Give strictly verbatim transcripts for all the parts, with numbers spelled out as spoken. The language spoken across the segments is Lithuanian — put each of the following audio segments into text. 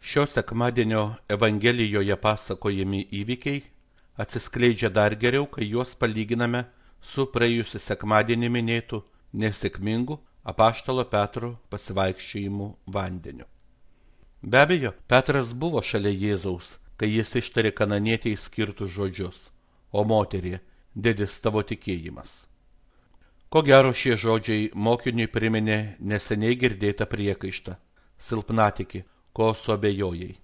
Šio sekmadienio Evangelijoje pasakojami įvykiai atsiskleidžia dar geriau, kai juos palyginame su praėjusiu sekmadienį minėtu nesėkmingu apaštalo Petro pasivaikščiojimu vandeniu. Be abejo, Petras buvo šalia Jėzaus, kai jis ištarė kananietei skirtus žodžius: o moterie, didis tavo tikėjimas. Ko gero šie žodžiai mokiniui priminė neseniai girdėtą priekaištą: silpnatikį, ko suabejojai.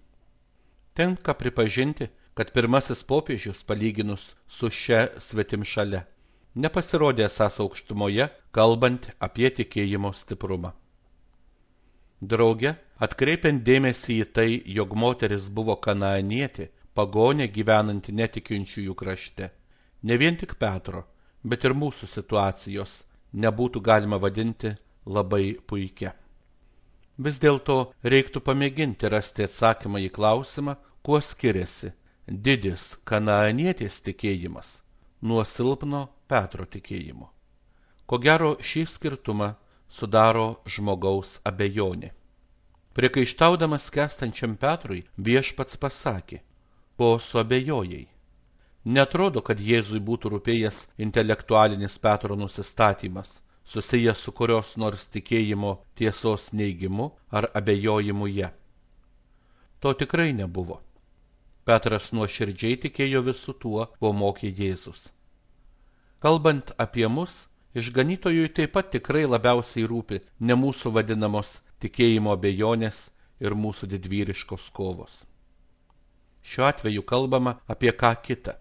Tenka pripažinti, kad pirmasis popiežius, palyginus su šia svetimšale, nepasirodė esąs aukštumoje, kalbant apie tikėjimo stiprumą. Drauge, atkreipiant dėmesį į tai, jog moteris buvo kanaanietė, pagonė gyvenanti netikinčiųjų krašte, ne vien tik Petro, bet ir mūsų situacijos nebūtų galima vadinti labai puikia. Vis dėlto reiktų pamėginti rasti atsakymą į klausimą, kuo skiriasi didis kanaanietės tikėjimas nuo silpno Petro tikėjimo. Ko gero šį skirtumą sudaro žmogaus abejonė. Priekaištaudamas skęstančiam Petrui, viešpats pasakė: ko suabejojai. Netrodo, kad Jėzui būtų rūpėjęs intelektualinis Petro nusistatymas, susijęs su kurios nors tikėjimo tiesos neigimu ar abejojimu ją. To tikrai nebuvo. Petras nuoširdžiai tikėjo visu tuo, ko mokė Jėzus. Kalbant apie mus, išganytojui taip pat tikrai labiausiai rūpi ne mūsų vadinamos tikėjimo abejonės ir mūsų didvyriškos kovos. Šiuo atveju kalbama apie ką kitą.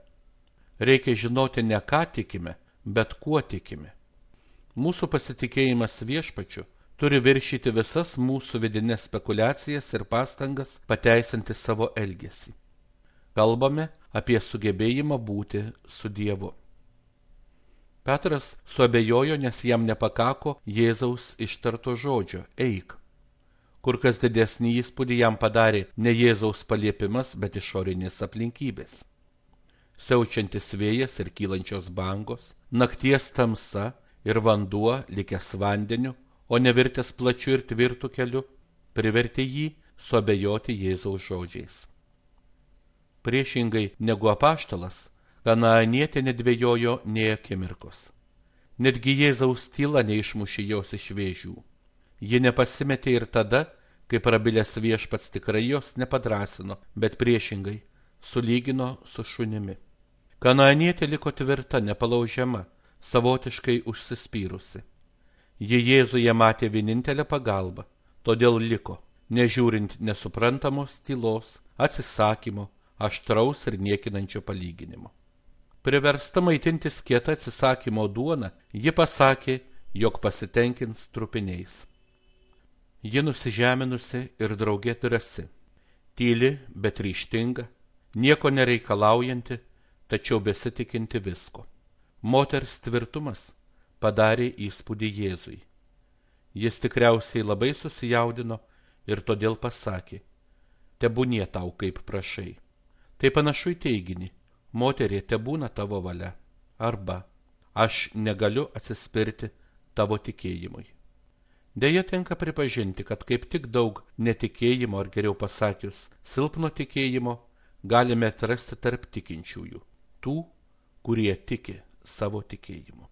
Reikia žinoti ne ką tikime, bet kuo tikime. Mūsų pasitikėjimas viešpačiu turi viršyti visas mūsų vidinės spekulacijas ir pastangas pateisinti savo elgesį. Kalbame apie sugebėjimą būti su Dievu. Petras suabejojo, nes jam nepakako Jėzaus ištarto žodžio eik. Kur kas didesnį įspūdį jam padarė ne Jėzaus paliepimas, bet išorinės aplinkybės. Siaučiantis vėjas ir kylančios bangos, nakties tamsa ir vanduo likęs vandeniu, o nevirtęs plačiu ir tvirtu keliu, privertė jį suabejoti Jėzaus žodžiais. Priešingai negu apaštalas, kanaanietė nedvejojo nė akimirkos. Netgi Jėzaus tyla neišmušė jos iš vėžių. Ji nepasimetė ir tada, kai prabilęs viešpats tikrai jos nepadrasino, bet priešingai sulygino su šunimi. Kanaanietė liko tvirta, nepalaužiama, savotiškai užsispyrusi. Ji Jėzuje matė vienintelę pagalbą, todėl liko, nežiūrint nesuprantamos tylos, atsisakymo, aštraus ir niekinančio palyginimo. Priversta maitintis kieta atsisakymo duona, ji pasakė, jog pasitenkins trupiniais. Ji nusižeminusi ir drauge drąsi, tyli, bet ryžtinga, nieko nereikalaujanti, tačiau besitikinti visko. Moters tvirtumas padarė įspūdį Jėzui. Jis tikriausiai labai susijaudino ir todėl pasakė: tebūnie tau kaip prašai. Tai panašu į teiginį: moterie, tebūna tavo valia, arba aš negaliu atsispirti tavo tikėjimui. Deja, tenka pripažinti, kad kaip tik daug netikėjimo, ar geriau pasakius, silpno tikėjimo galime atrasti tarp tikinčiųjų, tų, kurie tiki savo tikėjimu.